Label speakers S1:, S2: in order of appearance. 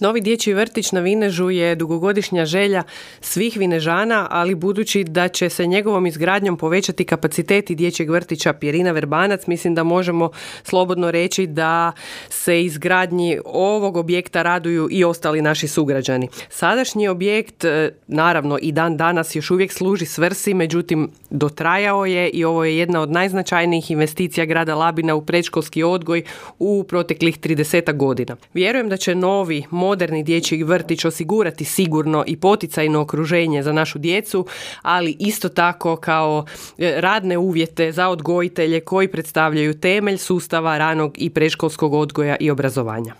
S1: Novi dječji vrtić na Vinežu je dugogodišnja želja svih Vinežana, ali budući da će se njegovom izgradnjom povećati kapaciteti dječjeg vrtića Pjerina Verbanac, mislim da možemo slobodno reći da se izgradnji ovog objekta raduju i ostali naši sugrađani. Sadašnji objekt, naravno i dan danas, još uvijek služi svrsi, međutim dotrajao je i ovo je jedna od najznačajnijih investicija grada Labina u predškolski odgoj u proteklih 30 godina. Vjerujem da će novi moderni dječji vrtić osigurati sigurno i poticajno okruženje za našu djecu, ali isto tako kao radne uvjete za odgojitelje koji predstavljaju temelj sustava ranog i predškolskog odgoja i obrazovanja.